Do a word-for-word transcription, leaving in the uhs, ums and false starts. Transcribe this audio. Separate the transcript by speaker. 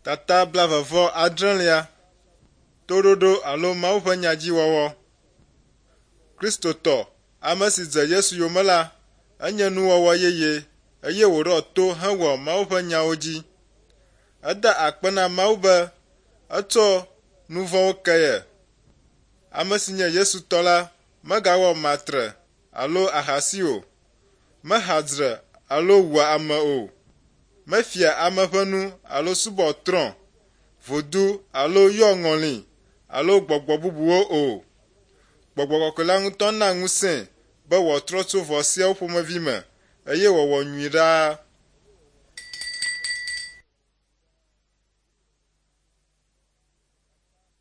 Speaker 1: Tata blaeve vɔ adrelia. Toɖoɖo alo Mawu ƒe nya dzi wɔwɔ. Kristotɔ, ame si dze Yesu yome la, enye nuwɔwɔ yeye eye wòɖɔ to hewɔ Mawu ƒe nyawo dzi. Eda akpe na Mawu be etsɔ nu vɔ̃wo ke ye. Ame si nye Yesu tɔ la megawɔ matre alo ahasi o, meha dzre alo wua ame o, mefia ame ƒe nu alo subɔ trɔ̃, vodu alo yɔ ŋɔli alo gbɔgbɔ bubuwo o. Gbɔgbɔ kɔkɔe la ŋutɔ na ŋusẽe be wòatrɔ tso vɔ̃ siawo ƒomevi me eye wòawɔ nyui ɖaa.